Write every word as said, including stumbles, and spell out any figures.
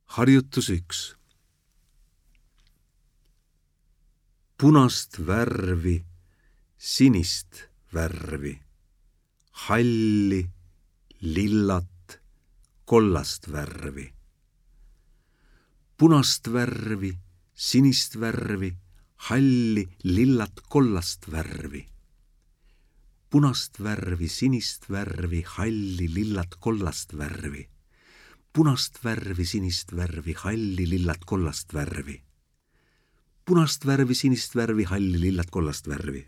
Harjutus üks. Punast värvi, sinist värvi, halli, lillat, kollast värvi. Punast värvi, sinist värvi, halli, lillat, kollast värvi. Punast värvi, sinist värvi, halli, lillat, kollast värvi. Punast värvi, sinist värvi, halli, lillat, kollast värvi. Punast värvi, sinist värvi, halli, lillat, kollast värvi.